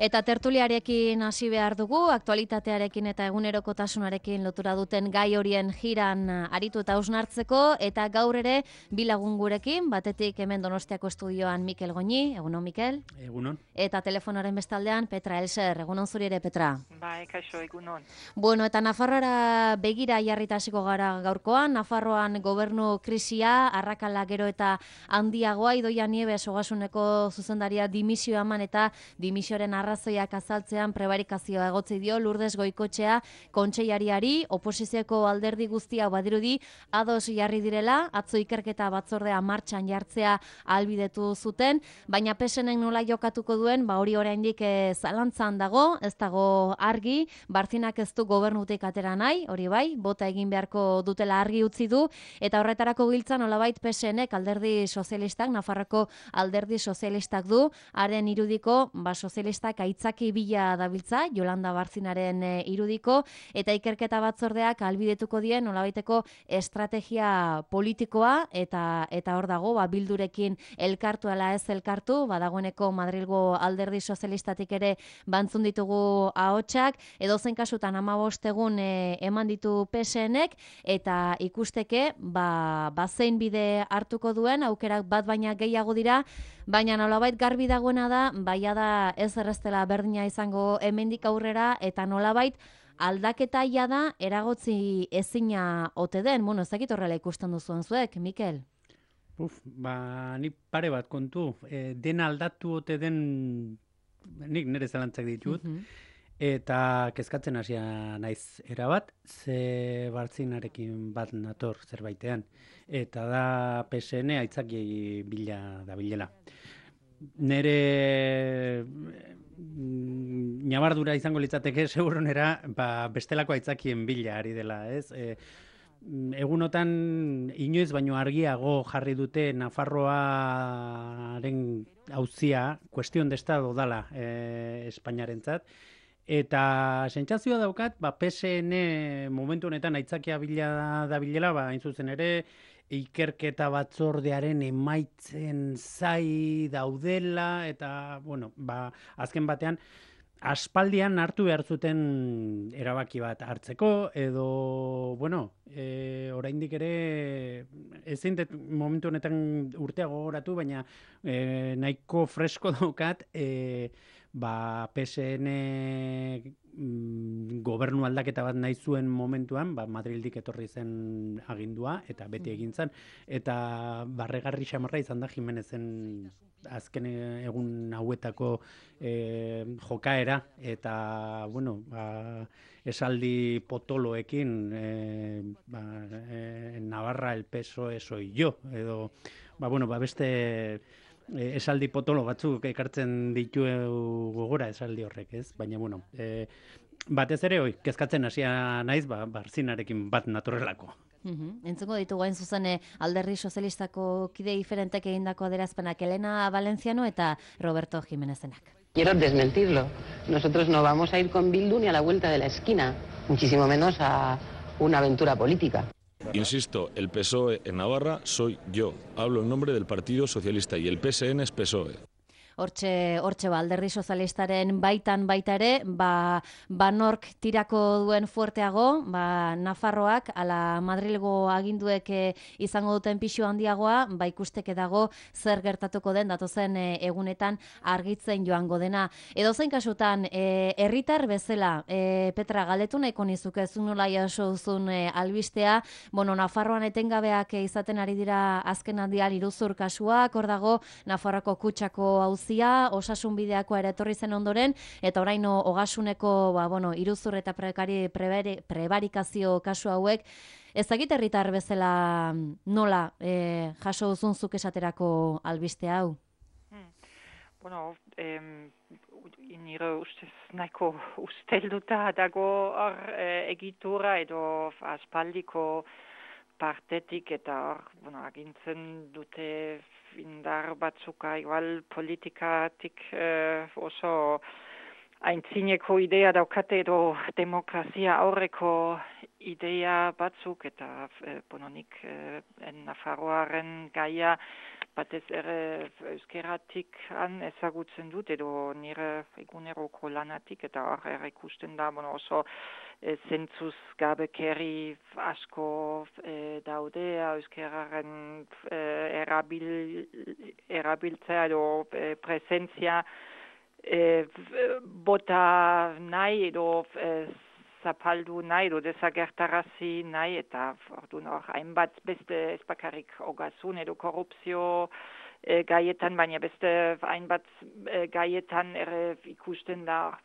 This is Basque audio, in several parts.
Eta tertuliarekin hasi behar dugu, aktualitatearekin eta egunerokotasunarekin lotura duten gai horien jiran aritu eta hausnartzeko, eta gaur ere bilagun gurekin, batetik hemen Donostiako estudioan Mikel Goñi, egunon Mikel? Egunon. Eta telefonoaren bestaldean Petra Elser, egunon zuri ere Petra? Bai, kaixo, egunon. Bueno, eta Nafarroara begira jarrita hasiko gara gaurkoan, Nafarroan gobernu krisia, arrakala gero eta handiagoa, Idoia Nieves Ogasuneko zuzendaria dimisioa eman eta dimisioaren arrazoiak azaltzean prebarikazioa egotzi dio Lourdes Goikotxea kontseilariari, oposizioko alderdi guztia badirudi ados jarri direla, atzo ikerketa batzordea martxan jartzea ahalbidetu zuten, baina PSNek nola jokatuko duen, hori oraindik zalantzan dago, ez dago argi, Bartzinak ez du gobernutik atera nahi, hori bai, bota egin beharko dutela argi utzi du, eta horretarako giltzan nolabait PSNek alderdi sozialistak, Nafarroko alderdi sozialistak du, haren irudiko, sozialistak aitzaki bila dabiltza, Jolanda Bartzinaren irudiko, eta ikerketa batzordeak ahalbidetuko dien nolabaiteko estrategia politikoa, eta hor dago, Bildurekin elkartu ala ez elkartu, dagoeneko Madrilgo alderdi sozialistatik ere bantzun ditugu ahotsak, edozein kasutan 15 egun eman ditu PSNek, eta ikusteke, zein bide hartuko duen, aukerak bat baina gehiago dira, baina nolabait garbi dagoena da, da ez erreztela berdina izango hemendik aurrera, eta nolabait aldaketa da eragotzi ezina ote den. Bueno, ez dakit horrela ikusten duzuen zuek, Mikel? Ni pare bat kontu, dena aldatu ote den, nik nire zalantzak ditut, eta kezkatzen hasia naiz erabat, ze Bartzinarekin bat nator zerbaitean, eta da PSN aitzaki bila da bilela. Nere ñabardura izango litzateke seguronera, bestelako aitzakien bila ari dela, ez? Egunotan inoiz baino argiago jarri dute Nafarroaren auzia, kuestion de estado dala Espainiarentzat, eta sentsazioa daukat, PSN momentu honetan aitzakia bila da bilela, hain zuzen ere, ikerketa batzordearen emaitzen zai daudela, eta, azken batean, aspaldian hartu behar zuten erabaki bat hartzeko, edo, oraindik ere, ezin momentu honetan urtea gogoratu, baina nahiko fresko daukat, PSN gobernu aldaketa bat nahi zuen momentuan, Madrildik etorri zen agindua, eta beti egin zen, eta barregarri xamarra izan da Jimenezen azken egun hauetako jokaera, eta, esaldi potoloekin, Navarra el PSOE soy yo, edo, beste esaldi potolo batzuk ekartzen ditu gogora esaldi horrek, ez? Baina, batez ere, kezkatzen hasia naiz, Bartzinarekin bat natorrelako. Entzuko ditugu hain zuzen alderdi sozialistako kide diferentek egindako adierazpenak Elena Valenciano eta Roberto Jiménezenak. Quiero desmentirlo. Nosotros no vamos a ir con Bildu ni a la vuelta de la esquina, muchísimo menos a una aventura política. Insisto, el PSOE en Navarra soy yo. Hablo en nombre del Partido Socialista y el PSN es PSOE. Hortxe alderdi sozialistaren baitan baita ere, nork tirako duen fuerteago, Nafarroak, ala Madrilgo aginduek izango duten pixu handiagoa, ikusteke dago zer gertatuko den datozen egunetan argitzen joango dena. Edozein kasutan, herritar bezala, Petra, galdetu nahiko nizuk ez nola jaso duzun albistea, Nafarroan etengabeak izaten ari dira azken handian iruzur kasuak, hor dago Nafarroako kutxako osasun bideakoa ere etorri zen ondoren, eta orain Ogasuneko iruzur eta prebarikazio kasu hauek, ez dakit herritar bezala nola jaso duzun zuk esaterako albiste hau? Nire ustez nahiko ustelduta dago egitura edo aspaldiko partetik eta agintzen dute indar batzuka igual politikatik oso aintzineko idea daukate edo demokrazia aurreko idea batzuk, eta nik Nafarroaren gaia batez ere euskeratik ezagutzen dut, edo nire eguneroko lanatik, eta hor ikusten da oso zentzuz gabekeri asko daude euskeraren erabiltzea edo presentzia bota nahi edo zapaldu nahi edo desagertarazi nahi, eta orduan hor hainbat beste ezbakarrik ogasun edo korrupzio gaietan, baina beste hainbat gaietan ere ikusten da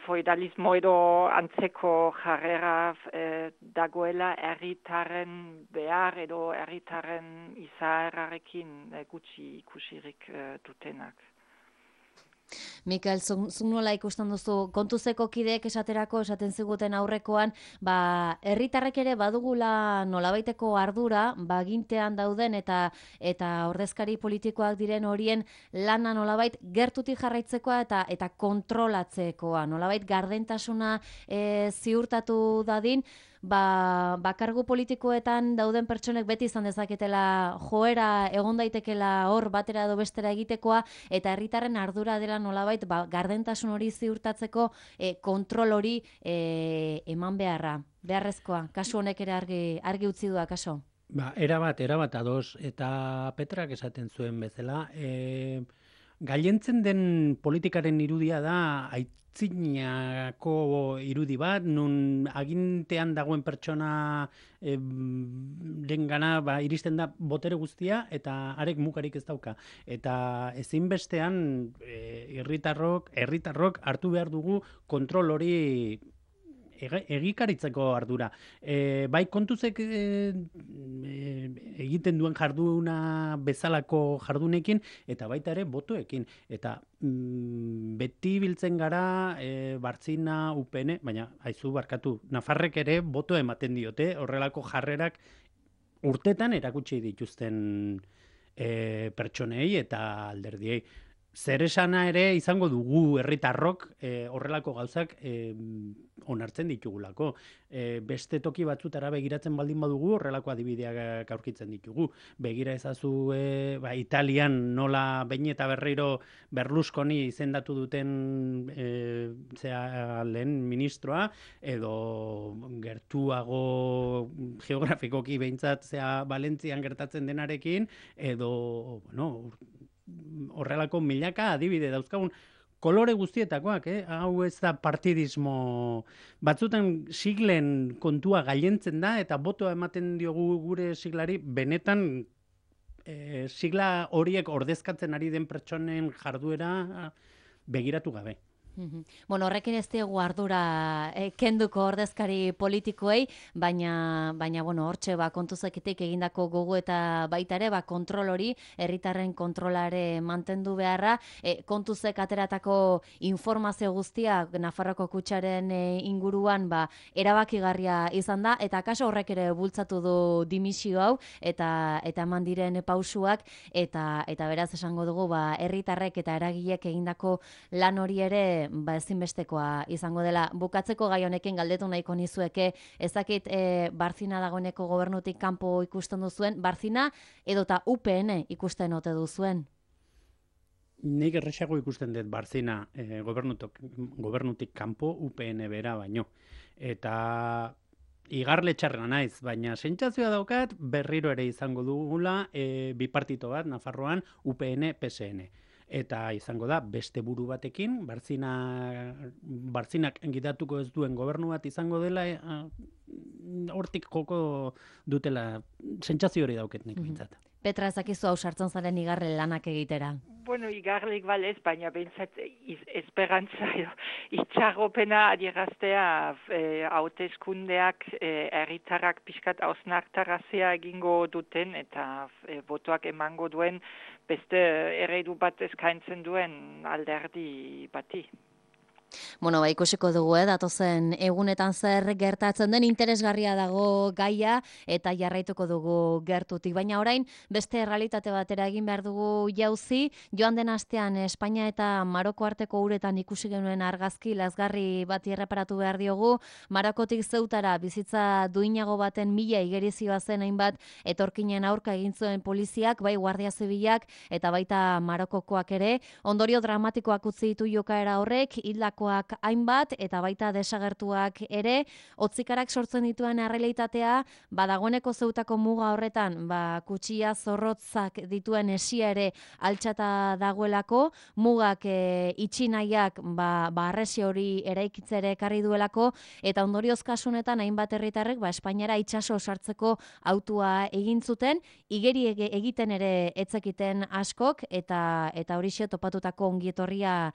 feudalismo edo antzeko jarrera dagoela herritarren behar edo herritarren izaerarekin gutxi ikusirik dutenak. Mikel, zuk nola ikusten duzu, kontuzeko kideek esaten ziguten aurrekoan, herritarrek ere badugula nolabaiteko ardura, gintean dauden eta ordezkari politikoak diren horien lana nolabait gertutik jarraitzekoa eta kontrolatzekoa, nolabait gardentasuna ziurtatu dadin, kargu politikoetan dauden pertsonek beti izan dezaketela joera egon daitekela hor batera edo bestera egitekoa, eta herritarren ardura dela nolabait gardentasun hori ziurtatzeko kontrol hori eman beharrezkoa. Kasu honek ere argi utzi du akaso? Erabat ados, eta Petrak esaten zuen bezala, gailentzen den politikaren irudia da aitzinako irudi bat, nun agintean dagoen pertsona dengana iristen da botere guztia, eta arek mugarik ez dauka. Eta ezinbestean herritarrok hartu behar dugu kontrol hori egikaritzeko ardura. Bai kontuzek egiten duen jarduna bezalako jardunekin, eta baita ere botoekin. Eta beti biltzen gara Bartzina, UPN, baina haizu barkatu, Nafarrek ere boto ematen diote, horrelako jarrerak urtetan erakutsi dituzten pertsonei eta alderdiei. Zer esana ere izango dugu herritarrok horrelako gauzak onartzen ditugulako. Beste toki batzutara begiratzen baldin badugu horrelako adibideak aurkitzen ditugu. Begira ezazu Italian nola behin eta berriro Berlusconi izendatu duten lehen ministroa, edo gertuago geografikoki behintzat Valentzian gertatzen denarekin, edo horrelako milaka adibide dauzkagun kolore guztietakoak, hau ez da partidismo. Batzutan siglen kontua gailentzen da, eta botoa ematen diogu gure siglari, benetan sigla horiek ordezkatzen ari den pertsonen jarduera begiratu gabe. Horrekin ez diegu ardura kenduko ordezkari politikoei, baina hortxe kontuzeketik egindako gogo eta baita ere kontrol hori, herritarren kontrolare mantendu beharra, kontuzek ateratako informazio guztia Nafarroko kutxaren inguruan erabakigarria izan da, eta kaso horrek ere bultzatu du dimisio hau, eta eman diren pausuak, eta beraz esango dugu herritarrek eta eragilek egindako lan hori ere ezinbestekoa izango dela. Bukatzeko gai honekin galdetu nahiko nizueke, ezakit Bartzina dagoeneko gobernutik kanpo ikusten duzuen, Bartzina edota UPN ikusten ote duzuen? Nik erresago ikusten dut Bartzina gobernutik kanpo UPN bera baino. Eta igarle txarra naiz, baina sentsazioa daukat berriro ere izango dugula bipartito bat Nafarroan UPN PSN. Eta izango da beste buru batekin, Bartzinak gidatuko ez duen gobernu bat izango dela, hortik joko dutela, sentsazio hori dauket nik bintzat. Petra, ezakizu hau sartzen zaren igarle lanak egitera? Igarlik balez, baina behintzat esperantza itxarropena adieraztea hauteskundeak herritarrak pixkat hausnartarazia egingo duten eta botoak emango duen beste eredu bat eskaintzen duen alderdi bati. Bueno, ikusiko dugu, datozen egunetan zer gertatzen den, interesgarria dago gaia eta jarraituko dugu gertutik. Baina orain beste errealitate batera egin behar dugu jauzi. Joan den astean Espainia eta Maroko arteko uretan ikusi genuen argazki lazgarri bati erreparatu behar diogu. Marokotik Zeutara bizitza duinago baten mila igerizioa zen hainbat etorkinen aurka egin zuen poliziak, bai Guardia Zibilak eta baita Marokokoak ere. Ondorio dramatikoak utzi ditu jokaera horrek, hildakoak hainbat eta baita desagertuak ere. Hotzikarak sortzen dituen errealitatea, dagoeneko Zeutako muga horretan, kutxia zorrotzak dituen esia ere altxata dagoelako, mugak itxi nahiak arresi hori eraikitzere ekarri duelako, eta ondorioz kasunetan hainbat herritarrek Espainiara itsaso sartzeko autua egin zuten, igeri egiten ere etzekiten askok, eta horixe topatutako ongietorria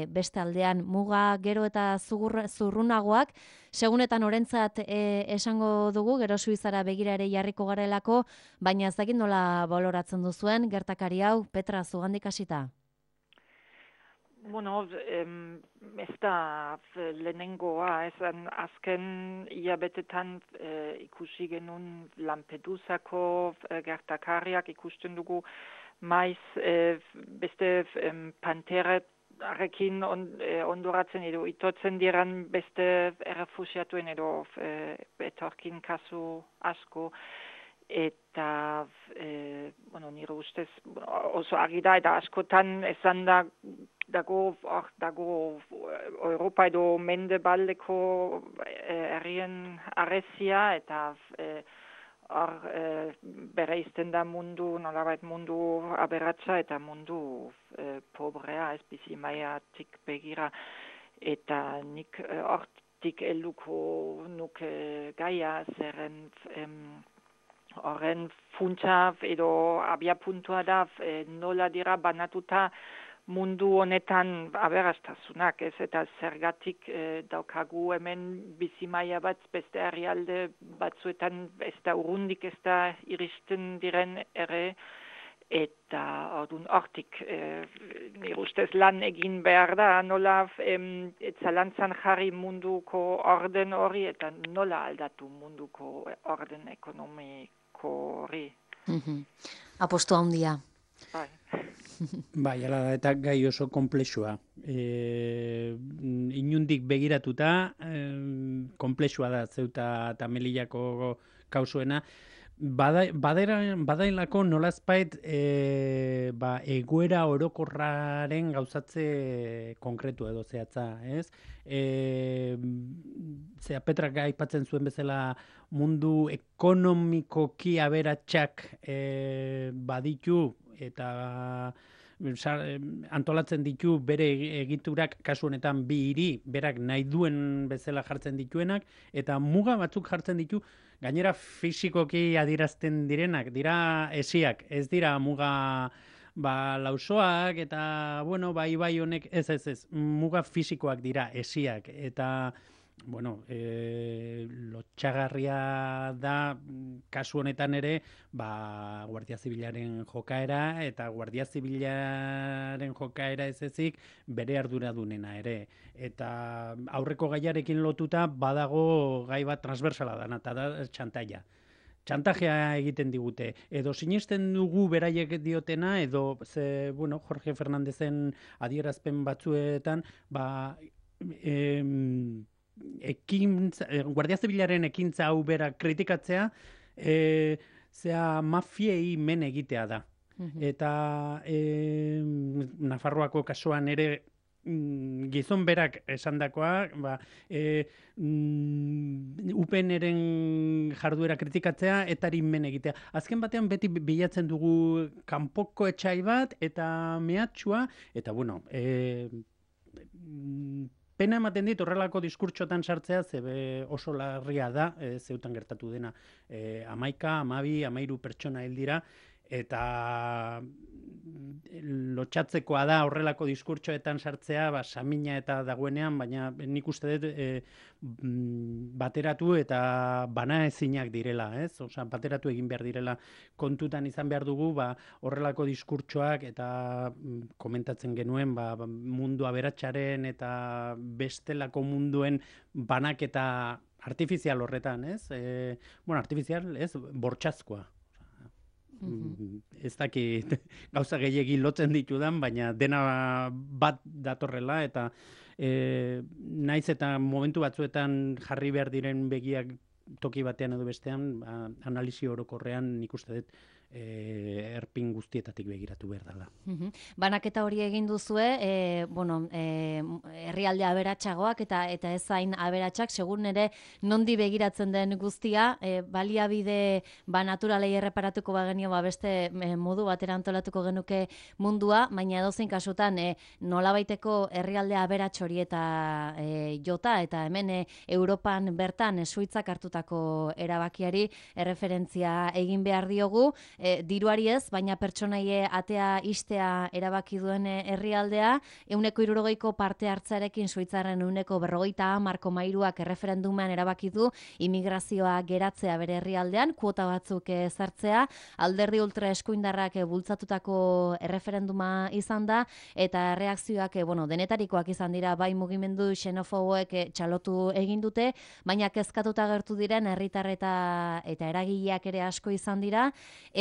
beste aldean muga gero eta zurrunagoak, segunetan orentzat esango dugu, gero Suizara begira ere jarriko garelako, baina ez dakit nola baloratzen duzuen gertakari hau, Petra, zugandik hasita? Bueno, ez da lehenengoa, azken hilabetetan ikusi genuen Lampedusako gertakariak ikusten dugu maiz beste Panterarekin ondoratzen edo itotzen diran beste errefusiatuen edo etorkin kasu asko. Eta, nire ustez oso argi da, eta askotan esan dago Europa edo mendebaldeko herrien arresia, eta bereizten da mundu, nolabait mundu aberatsa eta mundu pobrea, ez bizi maiatik begira, eta nik hortik helduko nuke gaia, zeren horren funtsa edo abiapuntua da nola dira banatuta mundu honetan aberastasunak, ez, eta zergatik daukagu hemen bizimaia bat beste herrialde batzuetan ez da urrundik ez da iristen diren ere, eta hortik nire ustez lan egin behar da, nola zalantzan jarri munduko orden hori eta nola aldatu munduko orden ekonomiko hori. Apostu handia. Bai. Bai, ala da, eta gai oso komplexua. Inundik begiratuta, komplexua da Zeuta eta Melillako kausuena. Badailako nolazpait egoera orokorraren gauzatze konkretu edo zehatza, ez? Petrak aipatzen zuen bezala mundu ekonomikoki aberatsak baditu eta antolatzen ditu bere egiturak, kasu honetan bi hiri, berak nahi duen bezala jartzen dituenak, eta muga batzuk jartzen ditu, gainera fisikoki adierazten direnak, dira esiak, ez dira muga lausoak, eta, bai honek, ez, muga fisikoak dira esiak, eta, lotxagarria da, kasu honetan ere, Guardia Zibilaren jokaera, eta Guardia Zibilaren jokaera ez ezik, bere arduradunena ere. Eta aurreko gaiarekin lotuta, badago gai bat transversala dana, eta da txantaia. Txantajea egiten digute. Edo sinisten dugu beraiek diotena, edo, Jorge Fernandezen adierazpen batzuetan, Guardia Zibilaren ekintza hau bera kritikatzea, mafiei men egitea da. Eta Nafarroako kasuan ere gizon berak esandakoa, UPNren jarduera kritikatzea etari men egitea. Azken batean beti bilatzen dugu kanpoko etxai bat eta mehatxua, eta pena ematen dit horrelako diskurtsotan sartzea, zebe oso larria da, Zeutan gertatu dena. 11, 12, 13 pertsona hil dira, eta lotxatzekoa da horrelako diskurtsoetan sartzea, samina eta dagoenean, baina nik uste dut bateratu eta banaezinak direla, ez? Osea, bateratu egin behar direla, kontutan izan behar dugu, horrelako diskurtsoak eta komentatzen genuen, mundu aberatsaren eta bestelako munduen banaketa artifizial horretan, ez? Artifizial, ez? Bortxazkoa. Ez dakit gauza gehiegi lotzen ditudan, baina dena bat datorrela eta naiz eta momentu batzuetan jarri behar diren begiak toki batean edo bestean, analisi orokorrean nik uste dut erpin guztietatik begiratu behar dela. Banaketa hori egin duzue, herrialde aberatsagoak eta ez hain aberatsak, segun ere nondi begiratzen den guztia, baliabide naturalei erreparatuko bagenio beste modu batera antolatuko genuke mundua, baina edozein kasutan nolabaiteko herrialde aberats hori eta jota, eta hemen Europan bertan Suitzak hartutako erabakiari erreferentzia egin behar diogu, diruari ez, baina pertsonaie atea istea erabaki duen herrialdea, 160ko parte hartzearekin Suitzarren 150,3ak erreferendumean erabaki du immigrazioa geratzea bere herrialdean, kuota batzuk ezartzea, alderdi ultra eskuindarrak bultzatutako erreferenduma izan da, eta reakzioak denetarikoak izan dira, bai mugimendu xenofoboek txalotu egin dute, baina kezkatuta agertu diren herritar eta eragileak ere asko izan dira,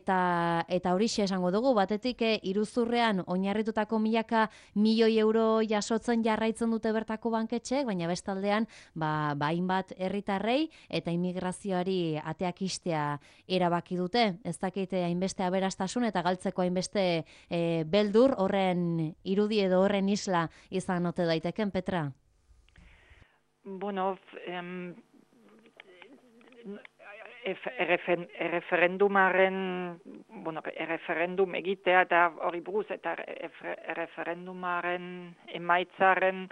eta horixe esango dugu, batetik iruzurrean oinarritutako milaka milioi euro jasotzen jarraitzen dute bertako banketxeek, baina bestaldean hainbat herritarrei eta immigrazioari ateak istea erabaki dute. Ez dakite hainbeste aberastasun eta galtzeko hainbeste beldur horren irudi edo horren isla izan ote daiteken, Petra? Erreferendum egitea eta hori buruz eta erreferendumaren emaitzaren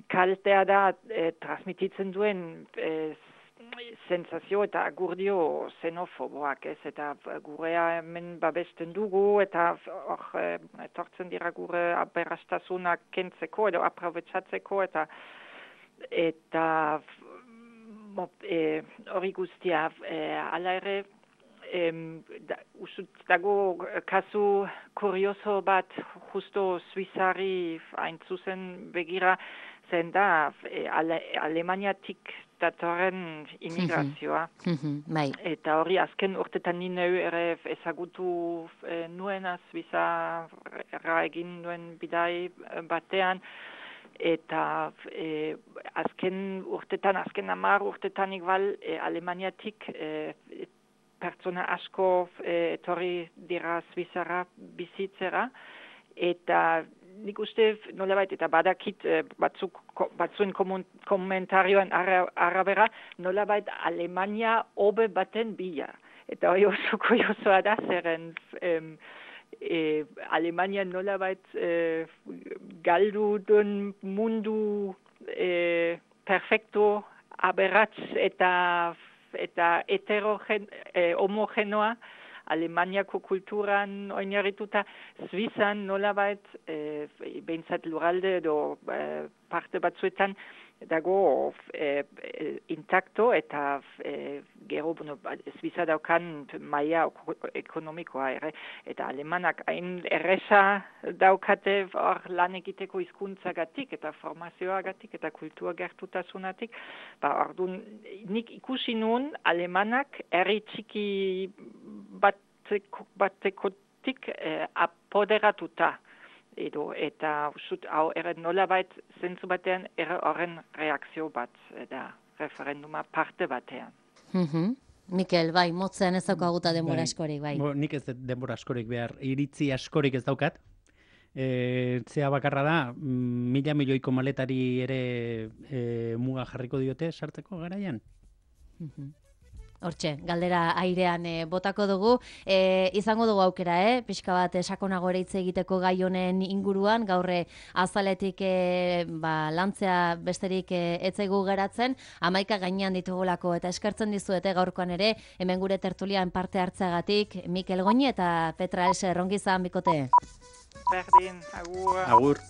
kaltea da transmititzen duen sensazio eta agurdio xenofoboak, ez? Eta gurea hemen babesten dugu eta etortzen dira gure aberastasunak kentzeko edo aprobetxatzeko eta hori guztia, ala ere, dago kasu kurioso bat justo Suizari hain zuzen begira zen da Alemaniatik datorren immigrazioa. Eta hori azken urtetan ni neu ere ezagutu nuena Suizarra egin duen bidai batean, eta azken 10 urtetan igual Alemaniatik pertsona asko etorri dira Suizarra bizitzera, eta nik uste nolabait, eta badakit batzuen komentarioan arabera, nolabait Alemania hobe baten bila. Eta hori oso kuriosoa da zeren Alemania nolabait galdu duen mundu perfecto, aberats eta homogenoa, Alemaniako kulturan oinarrituta, Suizan nolabait, behintzat lurralde edo parte batzuetan, dago intakto eta gero Suiza daukan maila ekonomikoa ere, eta alemanak hain erresa daukate hor lan egiteko hizkuntzagatik eta formazioagatik eta kultura gertutasunatik, orduan nik ikusi nuen alemanak herri txiki batekotik apoderatuta. Eta hau nolabait zentzu batean horren reakzio bat da referenduma parte batean. Mikel, bai, motzen ez daukaguta denbora askorik, bai. Nik ez denbora askorik behar, iritzi askorik ez daukat. Zea bakarra da, 1.000 milioiko maletari ere muga jarriko diote sartzeko garaian? Hortxe, galdera airean botako dugu. Izango dugu aukera, pixka bat sakonago ere hitz egiteko gai honen inguruan, gaurre azaletik lantzea besterik etzaigu geratzen, 11 gainean ditugulako eta eskertzen dizuete gaurkoan ere, hemen gure tertulian parte hartzeagatik, Mikel Goñi eta Petra Else, ongizan bikote. Berdin, agur. Agur.